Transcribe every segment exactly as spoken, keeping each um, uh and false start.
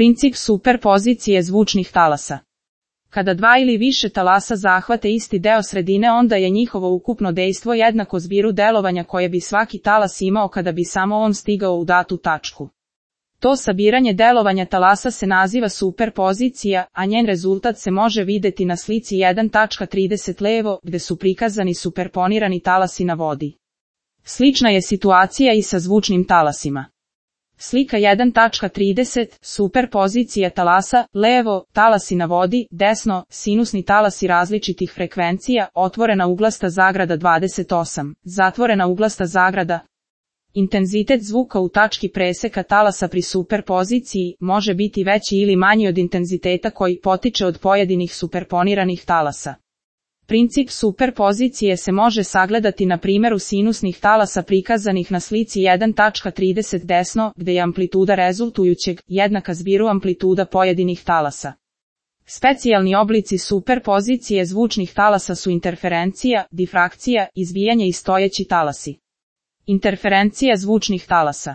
Princip superpozicije zvučnih talasa. Kada dva ili više talasa zahvate isti deo sredine, onda je njihovo ukupno dejstvo jednako zbiru delovanja koje bi svaki talas imao kada bi samo on stigao u datu tačku. To sabiranje delovanja talasa se naziva superpozicija, a njen rezultat se može videti na slici jedan tačka trideset levo, gde su prikazani superponirani talasi na vodi. Slična je situacija i sa zvučnim talasima. Slika jedan tačka trideset, superpozicija talasa, levo, talasi na vodi, desno, sinusni talasi različitih frekvencija, otvorena uglasta zagrada dvadeset osam, zatvorena uglasta zagrada. Intenzitet zvuka u tački preseka talasa pri superpoziciji može biti veći ili manji od intenziteta koji potiče od pojedinih superponiranih talasa. Princip superpozicije se može sagledati na primjeru sinusnih talasa prikazanih na slici jedan tačka trideset desno, gde je amplituda rezultujućeg jednaka zbiru amplituda pojedinih talasa. Specijalni oblici superpozicije zvučnih talasa su interferencija, difrakcija, izbijanje i stojeći talasi. Interferencija zvučnih talasa.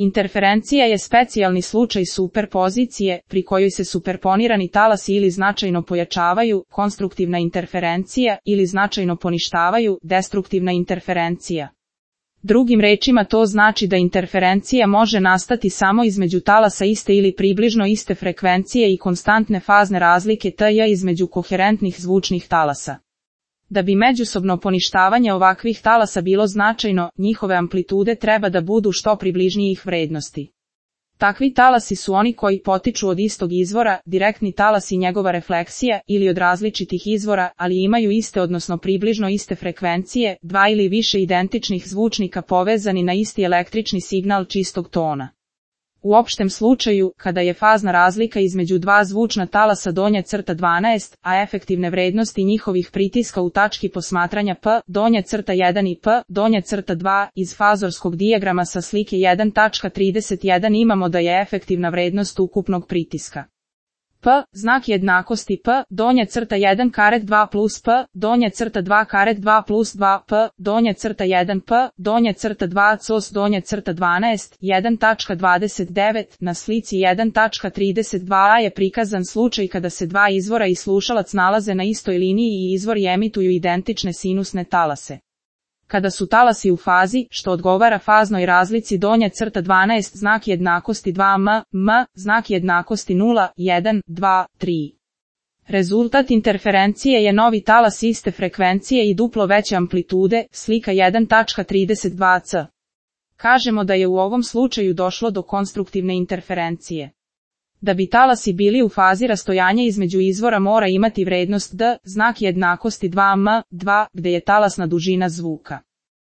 Interferencija je specijalni slučaj superpozicije, pri kojoj se superponirani talasi ili značajno pojačavaju, konstruktivna interferencija, ili značajno poništavaju, destruktivna interferencija. Drugim rečima to znači da interferencija može nastati samo između talasa iste ili približno iste frekvencije i konstantne fazne razlike T između koherentnih zvučnih talasa. Da bi međusobno poništavanje ovakvih talasa bilo značajno, njihove amplitude treba da budu što približnijih vrednosti. Takvi talasi su oni koji potiču od istog izvora, direktni talas i njegova refleksija, ili od različitih izvora, ali imaju iste odnosno približno iste frekvencije, dva ili više identičnih zvučnika povezani na isti električni signal čistog tona. U opštem slučaju, kada je fazna razlika između dva zvučna talasa donja crta dvanaest, a efektivne vrednosti njihovih pritiska u tački posmatranja P, donja crta jedan i P, donja crta dva, iz fazorskog dijagrama sa slike jedan tačka trideset jedan imamo da je efektivna vrednost ukupnog pritiska P, znak jednakosti P, donja crta jedan karet dva plus P, donja crta dva karet dva plus dva P, donja crta jedan P, donja crta dva cos donja crta dvanaest, jedan tačka dvadeset devet, na slici jedan tačka trideset dva je prikazan slučaj kada se dva izvora i slušalac nalaze na istoj liniji i izvori emituju identične sinusne talase. Kada su talasi u fazi, što odgovara faznoj razlici donja crta dvanaest znak jednakosti dva m, m, znak jednakosti nula, jedan, dva, tri. Rezultat interferencije je novi talas iste frekvencije i duplo veće amplitude, slika jedan tačka trideset dva c. Kažemo da je u ovom slučaju došlo do konstruktivne interferencije. Da bi talasi bili u fazi, rastojanje između izvora mora imati vrednost d, znak jednakosti dva m, dva, gde je talasna dužina zvuka.